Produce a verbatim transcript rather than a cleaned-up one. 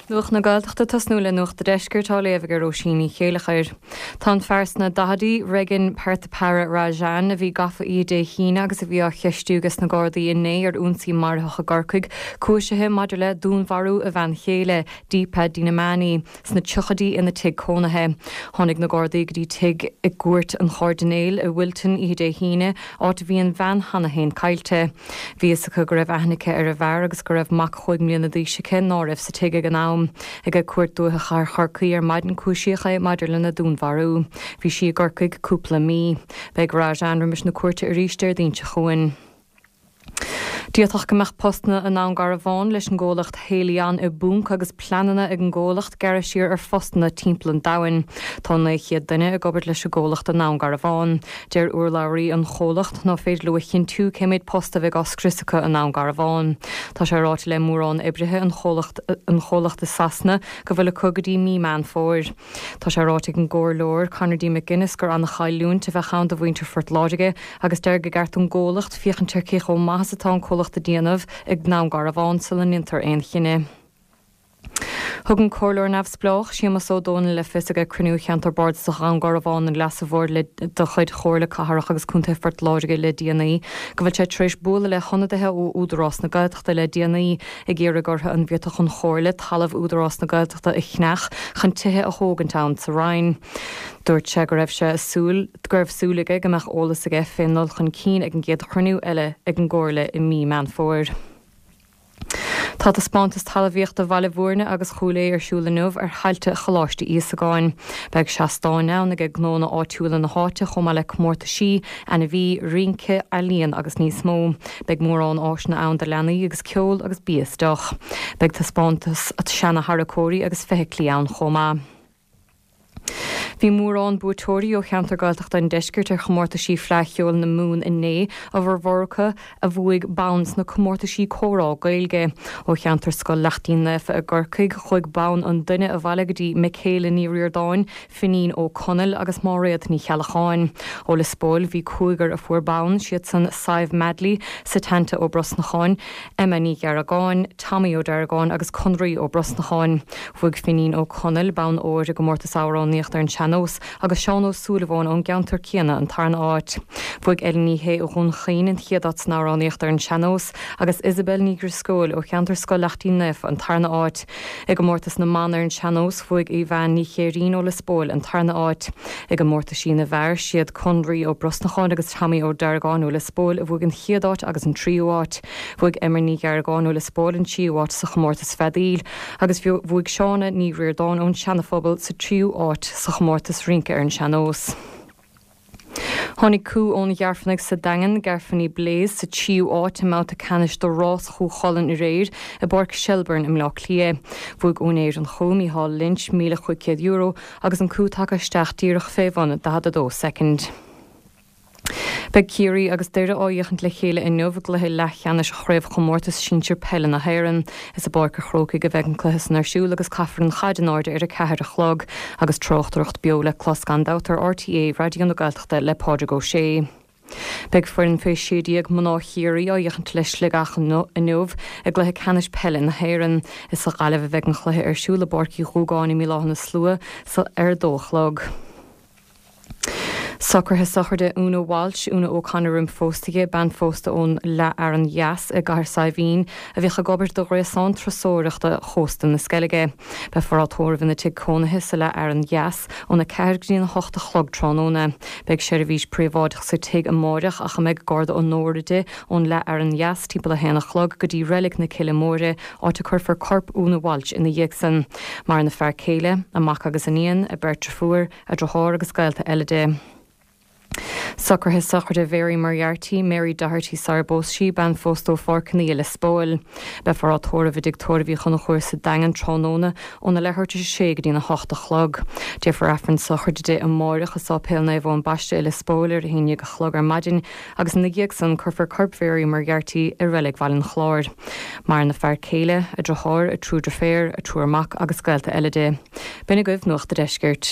Nuacht na Gaeltachta tosnú le Nuacht an Deiscirt á léamh ag Róisín Ní Chéilleachair. Tá an fear sna daichidí, Regan Perthapara Rajan, a bhí gafa oíche Dé hAoine agus a bhí á cheistiú ages na Gardaí inné ar ionsaí marfach i gCorcaigh, cúisithe maidir le dúnmharú a bhean chéile, Deepa Dinamani, sna tríochaidí ina tigh cónaithe. Tháinig na Gardaí go dtí tigh i gCúirt an Chairdinéil i Wilton oíche Dé hAoine, áit a bhí an bhean cheana féin caillte. Bhí fhios acu go raibh aithne aici ar an bhfear agus go raibh mac chúig mbliana d'aois aici ná raibh sa tigh ag an am. Ag Cúirt Dúiche Chathair Chorcaí ar maidin cúisíodh é maidir lena dúnmharú. Bhí sí i gCorcaigh cúpla mí. Beidh Rajan roimis na cúirte arís Déardaoin seo chugainn. D'fhéadfadh go mbeadh postanna i nDún Garbhán leis an gcomhlacht Haleon i bponc agus pleananna ag an gcomhlacht gearradh siar ar phostanna timpeall an domhain. Tá naoi chéad duine ag obair leis an gcomhlacht i nDún Garbhán. Deir urlabhraí an chomhlacht ná féidir leo a chinntiú cé méid post a bheidh á scrios acu i nDún Garbhán. Tá sé ráite le mórán oibrithe an chomhlacht an chomhlacht i Sasana go bhfuil acu go dtí mí Meán Fómhair. Tá sé ráite ag an gcomhairleoir Conor D. McGuinness gur an-chailliúint a bheadh ann do mhuintir Phort Láirge agus deir gur cheart don gcomhlacht féachaint ar cé chomh maith is atá an comhlacht ag déanamh i nDún Garbhán sula ndéantar aon chinneadh. Thug an comhairleoir neamhspleách Séamus Ó Dónaill le fios ag cruinniú cheantar bardasach Dhún Garbhán an Leasa Mhóir le de chuid Chomhairle Cathrach agus Contae Phort Láirge le déanaí go bhfuil sé tar éis bualadh le hionadaithe ó Údarás na Gaeltachta le déanaí ag iarraidh orthu an bhféadfadh an Chomhairle talamh Údarás na Gaeltachta a cheannach chun tithe a thógaint ann sa Rinn. Dúirt sé go raibh sé súil go raibh súil aige go mbeadh eolas aige fén ndul chun cinn ag an gcéad chruinniú eile ag an gcomhairle i mí Meán Fómhair. Tá taispeántas talmhaíochta Bhaile Bhúirne agus Chúil Aodha ar siúl inniu ar thailte Choláiste Íosagáin. Beidh seastáin ann ag gnónna áitiúla na háite chomh maith le comórtaisí, ainmhí, rince, ealaíon agus níos mó. Beidh mórán áiseanna ann do leanaí agus ceol agus bia is deoch. Beidh taispeántas seana-tharracóirí agus feithiclí ann chomh maith. Bhí mórán buaiteoirí ó cheantar Gaeltachta an Deiscirt ar chomórtaisí Fleadh Cheoil na Mumhan inné a bhformhór acu a bhuaigh bonn sna comórtaisí comhrá Gaeilge. Ó cheantar Scoil Lachtaín Naofa i gCorcaigh chuaigh bonn an duine abhaile go dtí Michaela Ní Ríordáin, Finín Ó Conaill agus Máiréad Ní Cheallacháin. Ó Lios Póil bhí cúigear a fuair bonn siad san Sadhbh Madley, Setanta Ó Brosnacháin, Emma Ní Gheargáin, Tommy Ó Deargáin agus Conraí Ó Brosnacháin. Bhuaigh Finín Ó Conaill bonn óir i gcomórtas amhránaíochta ar an sean-nós agus Seán Ó Súilleabháin ón gceantar céanna an tarna áit. Bhuaigh Ellen Ní Shé ó Dhún Chaoin an chéad áit san amhránaíocht ar an sean-nós agus Isabel Ní Dhrisceoil ó cheantar Scoil Lachtaín Naofa an tarna áit. I gcomórtas na mban ar an sean-nós bhuaigh Aoibheann Ní Chéirín ó Lios Póil an tarna áit. I gcomórtaisí na bhfear siad Conraí Ó Brosnacháin agus Tommy Ó Deargáin ó Lios Póil a bhuaigh an chéad áit agus an tríú áit. Bhuaigh Emer Ní Gheargáin ó Lios Póil an tríú áit sa chomórtas feadaíl, agus bhuaigh Seána Ní Ríordáin ón Seanaphobal sa tríú áit sa chomórtas rince ar an sean-nós. Tháinig cú ón Ghairfeanaigh sa Daingean, Garfanny Blaze sa tríú áit i mbabhta ceannais de rás Chú Chulainn aréir i bPáirc Shelbourne i mBleá Cliath. Bhuaigh úinéir an chú Micheál Lynch míle cúig chéad euro agus an cú tagtha isteach díreach fé bhun daichead a dó soicind. Beidh Ciarraí agus Doire á fhéachaint le chéile inniu i gcluiche leathcheannais chraobhchomórtas sinsir peile na hÉireann. Is i bPáirc an Chrócaigh a bheidh an cluiche san ar siúl agus caithfear an chaid in airde ar a ceathair a chlog agus tráchtaireacht beo le clos gan dabht ar RTÉ Raidió na Gaeltachta le Pádraig Ó Sé. Beidh foireann fé sé déag mná Chiarraí á fhéachaint le Sligeach inniu i gcluiche ceannais peile na hÉireann. Is sa Ghaillimh a bheidh an cluiche ar siúl i bPáirc Uí Dhúgáin i mBaile Átha na Slua ar a dó a chlog. Socruithe sochraide Una Walsh, Una O'Connor roimh phóstaithe, bean phósta ón Leath Fhearann Dheas i gCathair Saidhbhín, a bhíodh ag obair do ghréasán turasóireachta chósta na Sceilge. Beifear á tórramh ina tigh cónaithe sa Leath Fhearann Dheas óna ceathair go dtí an hocht a chlog tráthnóna. Beidh seirbhís príobháideach sa tigh amáireach ach a mbeidh garda onóra di ón Leath Fhearann Dheas timpeall a haon a chlog go dtí reilig na Cille Móire, áit a cuirfear corp Una Walsh ina dhiaidh san. Maireann a fear céile, a mac agus iníon, a beirt deirfiúr, a deartháir agus gaolta eile di. Socruithe sochraide Mhary Moriarty, Mary Doherty sara bpós sí, bean phósta ó Pháirc an Fhia Lios Póil. Beifear á tórramh i dtigh tórraimh Uí Chonchúir sa Daingean tráthnóna óna leathuair tar éis a sé go dtína hocht a chlog. Déanfar Aifreann sochraide di amáireach i Sáipéal Naomh Eoin Baiste i Lios Póil ar a haon déag a chlog ar maidin agus ina dhiaidh san cuirfear corp Mhary Moriarty i reilig Bhaile an Chláir. Maireann a fear céile, a deartháir, a triúr deirféar, a triúr mac agus gaolta eile di. B'in agaibh Nuacht an Deiscirt.